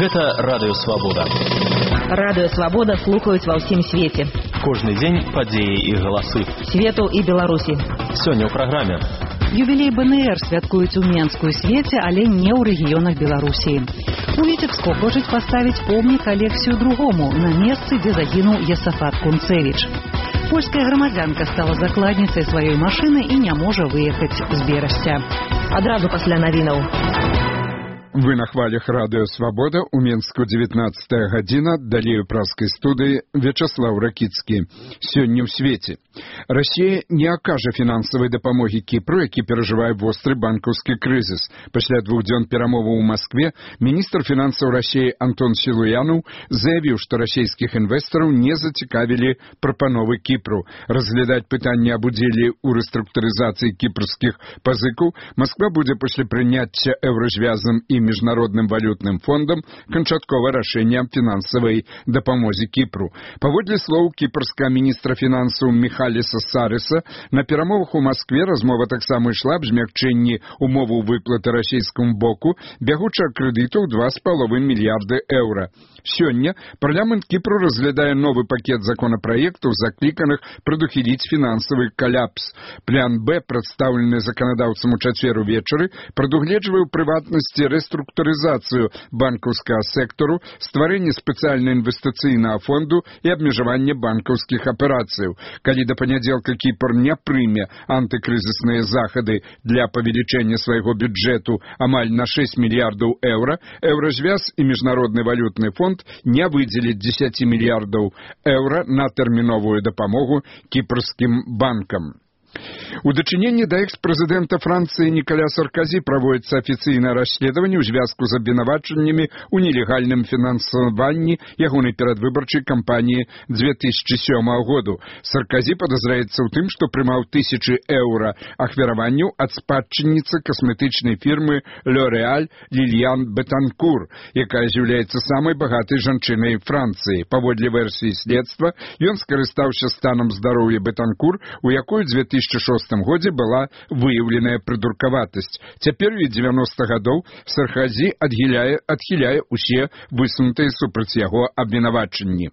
Гэта Радыё Свабода. Радыё Свабода слухаюць ва ўсім свеце. Кожны дзень падзеі і галасы. Свету і Беларусі. Сёння ў праграме. Юбілей БНР святкуюць у Менску і свеце, але не ў рэгіёнах Беларусі. У Віцебску хочуць паставіць помнік Алексію II на месцы, дзе загінуў Есафат Кунцевіч. Польская грамадзянка стала закладніцай сваёй машыны і не можа выехаць з Берасця. Адразу пасля навінаў. Вы на хвалях Радыё Свабода, у Менску 19 гадзіна, далей у праскай студыі Вячаслаў Ракіцкі. Сёння ў свеце. Расія не акажа фінансавай дапамогі Кіпру, які перажывае востры банкаўскі крызіс. Пасля 2 дзён перамоваў у Маскве міністр фінансаў Расіі Антон Сілуянаў заявіў, што расійскіх інвестараў не зацікавілі прапановы Кіпру. Разглядаць пытанне аб удзеле ў рэструктурызацыі кіпрскіх пазыкаў Масква будзе пасля прыняцця еўразвязам і Міжнародным валютным фондам канчаткова рашэння аб фінансавай дапамозе Кіпру. Паводле слоў кіпрскага міністра фінансаў Міхаліса Сарыса, на перамовах у Маскве размова таксама ішла аб змякчэнні умоваў выплаты расійскаму боку бягучага крэдыту ў 2,5 мільярды еўра. Сёння парламент Кіпру разглядае новы пакет законапраектаў, закліканых прадухіліць фінансавы каляпс. План Б, прадстаўлены заканадаўцам у чацвер увечары, прадугледжвае ў прыватнасці рэструктурызацыю банкаўскага сектару, стварэнне спецыяльна інвестыцыйнага фонду і абмежаванне банкаўскіх аперацыяў. Калі да панядзелка Кіпр не прыме антыкрызісныя захады для павелічэння свайго бюджэту амаль на 6 мільярдаў еўра, еўразвяз і Міжнародны валютны фонд не выдзеліць 10 мільярдаў еўра на тэрміновую дапамогу кіпрскім банкам. У дачыненні да экс-прэзідэнта Францыі Нікаля Сарказі праводзіцца афіцыйнае расследаванне ў звязку з абвінавачаннямі ў нелегальным фінансаванні ягонай перадвыбарчай кампаніі 2007 году. Сарказі падазраецца ў тым, што прымаў тысячы еўра ахвяраванняў ад спадчынніцы касметычнай фірмы L'Oréal Лільян Бетанкур, якая з'яўляецца самай багатай жанчынай Францыі. Паводле версіі следства, ён скарыстаўся станам здароўя Бетанкур, у якой 2006 годзе была выяўленая прыдуркаватасць. Цяпер у 90 гадоў Сарказі адхіляе ўсе высунутыя супраць яго абвінавачанні.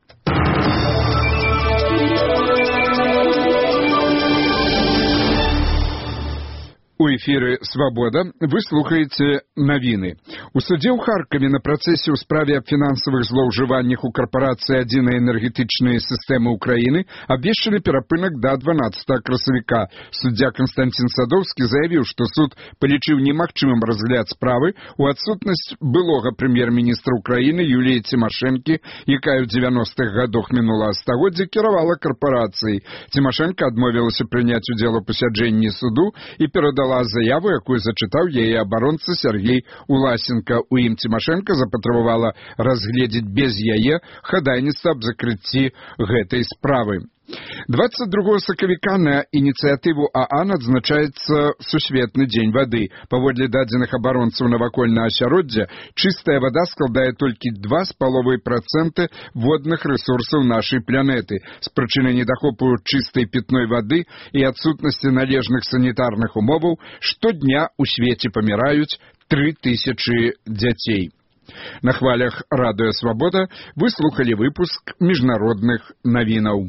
У эфіры «Свабода» вы слухаеце навіны. У судзе ў Харкаве на працэсе ў справе аб фінансавых злоўжываннях у карпорацыі адзінай энергетычнай сістэмы Украіны абвешчаны перапынак да 12 красавіка. Суддзя Канстантин Садоўскі заявіў, што суд палічыў немагчымым разгляд справы ў адсутнасць былога прэм'ер-міністра Украіны Юліі Цімашэнкі, якая ў 90-х гадах мінулага стагоддзя кіравала карпорацыяй. Цімашэнка адмовілася прыняць удзел у пасяджэнні суду і перадала заяву, якую зачытаў яе абаронца Сергей Уласенко. У ім Цімашэнка запатрабавала разгледзець без яе хадайніцтва аб закрыцці гэтай справы. 22 сакавіка на ініцыятыву ААН адзначаецца Сусветны дзень вады. Паводле дадзеных абаронцаў навакольнага асяроддзя, чыстая вада складае толькі 2,5% водных рэсурсаў нашай планеты. З прычыны недахопу чыстай пітной вады і адсутнасці належных санітарных умоваў штодня ў свеце паміраюць 3000 дзяцей. На хвалях Радыё Свабода вы слухалі выпуск міжнародных навінаў.